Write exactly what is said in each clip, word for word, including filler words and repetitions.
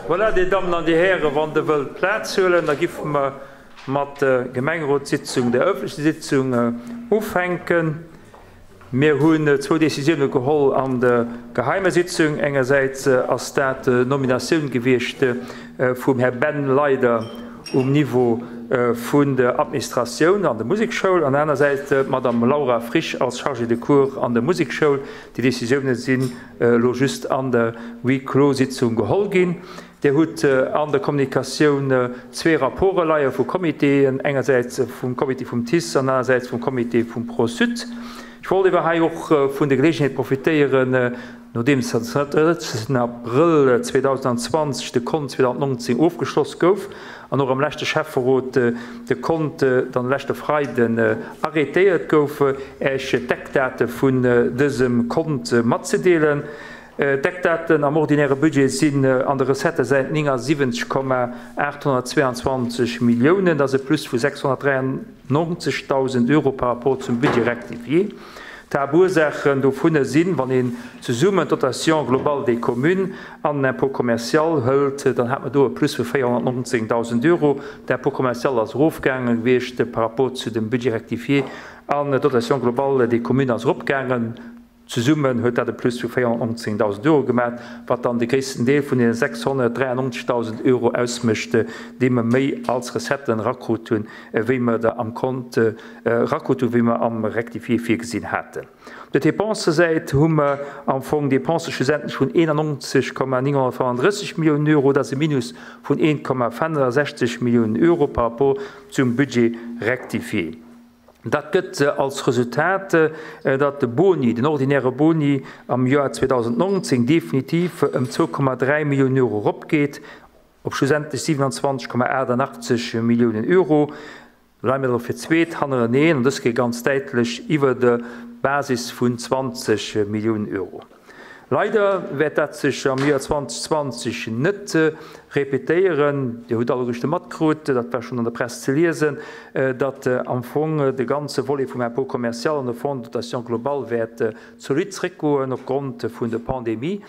Voilà, Dir Dammen an Dir Hären, wann Der wëllt Plaz huelen, da giffe mer mat der Gemengerotssitzung, der öffentlechen Sitzung, ufänken. Mir hunn zwou Décisioune geholl an der geheimer Sitzung. Engersäits ass dat d'Nominatioun gewiescht vum Här Ben Leyder um Niveau vun der Administratioun an der Musekschoul an anersäits d'Madame Laura Frisch als Chargée de cours an der Musekschoul. Déi Décisioune sinn elo just an der Huis-clos-Sitzung geholl ginn. Dir hutt an der Kommunikatioun zwee Rapporte leie vu Comitéen, engersäits vum Comité vum TICE an anersäits vum Comité vum Pro-Sud. Ech wollt ewer hei och vun der Geleegenheet profitéieren, nodeems den drëtzen Abrëll zweedausendzwanzeg de Kont zweedausendnonzéng ofgeschloss gouf an och am leschte Schäfferot de Kont dann leschte Freiden arrêtéiert gouf, Äech d'Eckdate vun dësem Kont matzedeelen. D'Eckdaten am ordinäre Budget sinn an der Recettësäit néngasiwwenzeg Komma aathonnertzweeanzwanzeg Milliounen, dat ass e Plus vu sechshonnertdräiannonzegdausend Euro par rapport zum Budget rectifié. D'Haaptursaachen dovunner sinn, wann een zesummen d'Dotation globale des communes an den Impôt commercial hëlt, dann hat mer do e Plus vu véierhonnertnonzéngdausend Euro. D'Impôt commercial ass erofgaange gewiescht par rapport zu dem Budget rectifié an d'Dotation globale des communes ass eropgaangen. Zesummen huet dat e Plus vu véierhonnertnonzéngdausend Euro gemaach, wat dann de gréissten Deel vun deene sechshonnertdräiannonzegdausend Euro ausmécht, déi mer méi als Recetten erakrut hunn, wéi mer der am Kont erakrut hunn, wéi mer am Rectifié virgesinn haten. Op der Dépensësäit hu mer am Fong Dépensë schlussendlech vun eenannonzeg Komma nénghonnertfënnenddrësseg Milliounen Euro, dat ass e Minus vun een Komma fënnensechzeg Milliounen Euro par rapport zum Budget rectifié. Dat gëtt als Resultat, datt de Boni, den ordinäre Boni am Joer zweedausendnonzéng definitiv ëm zwou Komma dräi Milliounen Euro eropgeet, op schlussendlech siewenundzwanzeg Komma achtundachtzeg Milliounen Euro. Leie mir elo fir d'zweet hannereneen, an dës Kéier ganz däitlech iwwer der Basis vun zwanzeg Milliounen Euro. Leider wäert dat sech am Joer zweitausendzwanzeg net repetéieren. Dir hutt alleguerte matkrut, dat war schonn an der Press ze liesen, datt am Fong de ganze Volet vum Impôt commercial an de Fonds de dotation globale wäert zolidd zréckgoen opgrond vun der Pandemie.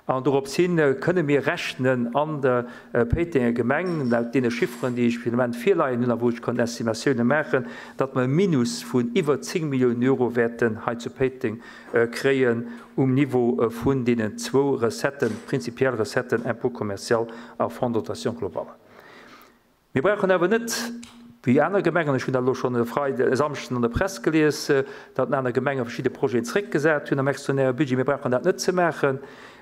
An dorops hin kënne mir rechnen an der Péitenger Gemeng, laut deene Chifferen, déi ech fir de Moment virleien hunn a wou ech kann Estimatioune maachen, datt mer e Minus vun iwwer zéng Milliounen Euro wäerten hei zu Péiteng kréien um Niveau vun deenen zwou Recetten, prinzipiell Recetten, Impôt commercial a Fonds de dotation globale. Mir brauchen awer net, wéi aner Gemengen, ech hunn dat elo schonn e Freiden, e Samschden an der Press gelies, datt aner Gemenge verschidde Projeten zréckgesat hunn am extraordinäre Budget. Mir brauchen dat net ze maachen.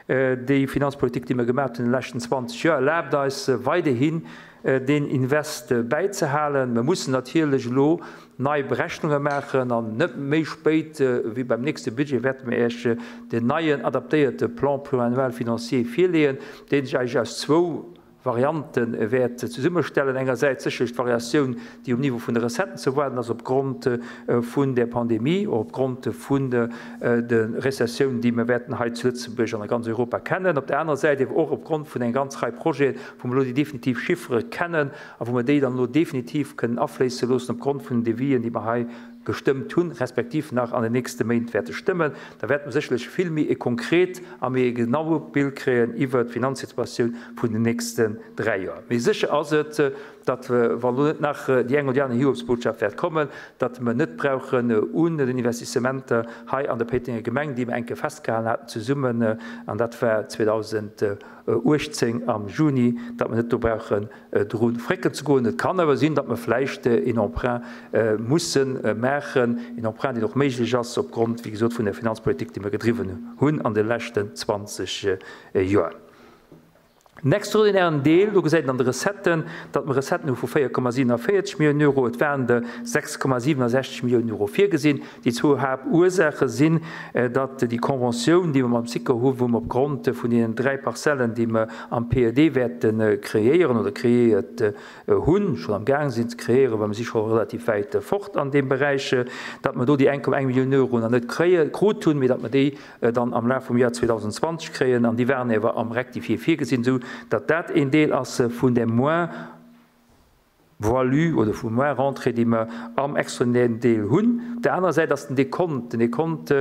Déi Finanzpolitik, déi mir gemaach hunn an de leschten zwanzeg Joer, erlaabt eis weiderhin, deen Invest bäizehalen. Mir mussen natierlech elo nei Berechnunge maachen an net méi spéit wéi beim nächste Budget wäerte mir Iech den neien adaptéierte Plan pluriannuel financier virleeën, dee sech eigentlech aus zwou Variante wäert zesummestellen. Engersäits sécherlech d'Variatioun, déi um Niveau vun de Recetten ze erwaarden ass opgrond vun der Pandemie, och opgrond vun der Rezessioun, déi mir wäerten hei zu Lëtzebuerg an a ganz Europa kennen. Op der anerer Säit ewer och opgrond vun enger ganz Rei Projeten, wou mer elo déi definitiv Chiffere kennen a wou mer déi dann elo definitiv kënnen afléisse loossen opgrond vun den Devisen, déi mer hei gestëmmt hunn, respektiv nach an den nächste Méint wäerte stëmmen, da wäerte mer sécherlech vill méi e konkret a méi e genaue Bild kréien iwwert d'Finanzsituatioun vun den nächsten dräi Joer. Mee sécher ass et, datt, wa lo net nach déi eng oder déi aner Hiobsbotschaft wäert kommen, datt mer net brauchen un den Investissementer hei an der Péitenger Gemeng, déi mer eng Kéier festgehalen haten zesummen, an dat war zweedausenduechtzéng am Juni, datt mer net do brauchen dru frécken ze goen. Et kann awer sinn, datt mer vläicht een Emprunt musse maachen, een Emprunt, deen och méiglech ass opgrond, wéi gesot, vun der Finanzpolitik, déi mer gedriwwen hunn an de leschten zwanzeg Joer. Den extraordinären Deel, do gesäit een an de Recetten, datt mer Recetten hu vu véier Komma siewenundvéierzeg Milliounen Euro. Et waren der sechs Komma siewenundsechzeg Milliounen Euro virgesinn. Déi zwou Haaptursaache sinn, datt déi Conventioun, déi mer mam SICO hu, wou mer opgrond vun deenen dräi Parzellen, déi mer am P E D wäerte kreéieren oder kreéiert hunn, schonn am Gaang sinn ze kreéieren, well mer si scho relativ wäit fort an deem Beräich, datt mer do déi eng Komma eng Millioun Euro nach net kréie, krut hunn, mee datt mer déi dann am Laf vum Joer zweedausendzwanzeg kréien. An déi waren awer am Rectifié virgesinn, esou datt dat een Deel ass vun der moins Voilu oder vu moins Rentrée, déi mer am extraordinären Deel hunn. Op der anerer Säit ass den Dekont, den Dekont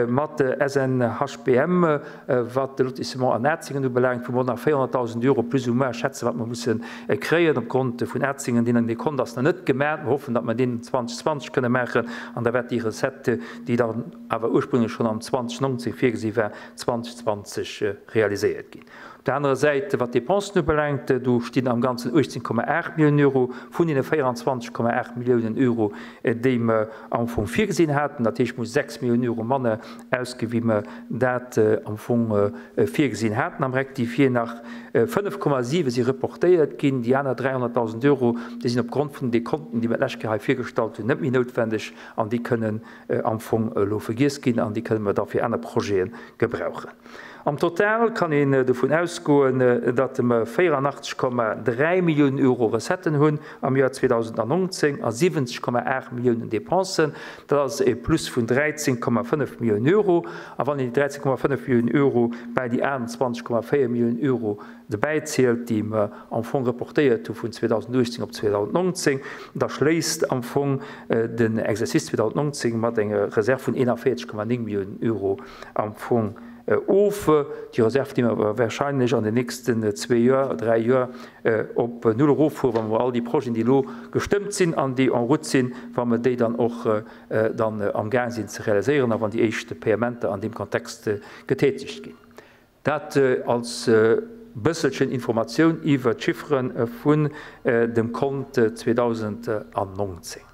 mat S N H B M, wat de Lotissement an Atzingen ubelaangt, wou mer nach véierhonnertdausend Euro plus ou moins schätzen, wat mer musse kréien opgrond vun Atzingen. Deen Dekont ass nach net gemaach. Mir hoffen, datt mer deen zweitausendzwanzig kënne maachen an da wäert déi Recette, déi dann awer ursprünglech schon am zweitausendneunzehn virgesi war, zweitausendzwanzig realiséiert ginn. Op der anderen Seite, wat Dépensen ubelaangt, do stinn am Ganzen achtzehn Komma acht Millionen Euro vun den vierundzwanzig Komma acht Millionen Euro, déi mer am Fong virgesinn haten. Dat heescht, muss sechs Millionen Euro manner ausginn, wéi mer dat am Fong virgesinn haten. Am Rectifié nach fënnef Komma siwe si reportéiert ginn, déi aner dreihunderttausend Euro, déi sinn opgrond vun den Konten, déi mer d'lescht Kéier hei virgestallt hunn, net méi noutwendeg an déi kënnen am Fong elo vergiess ginn an déi kënnen mer da fir aner Projete gebrauchen. Am Total kann een dovun ausgoen, datt mer vierundachtzig Komma dräi Millionen Euro Recetten hunn am Jahr zweitausendneunzehn a siwwenzeg Komma acht Millionen Dépensen. Dat ass e Plus vun dreizehn Komma fënnef Millionen Euro. A wann een déi dreizehn Komma fënnef Millionen Euro bei déi achtundzwanzig Komma véier Millionen Euro dobäi zielt, déi mer am Fong reportéiert hu vun zweitausendachtzehn op zweitausendneunzehn, da schléisst am Fong den Exercice zweitausendneunzehn mat enger Reserve vun einundvierzig Komma neun Millionen Euro am Fong of. Die Reserve, die wir wahrscheinlich an den nächsten zwei Jahren, drei Jahren op null eroffuhren, wann wir all die Projete, die lo gestimmt sind, an die en route sind, wann wir die dann auch dann am Gang sind zu realisieren, wann die ersten Paymente an dem Kontext getätigt gehen. Dat als bësselchen Information iwwer d'Chiffren vun dem Kont zweitausendneunzehn.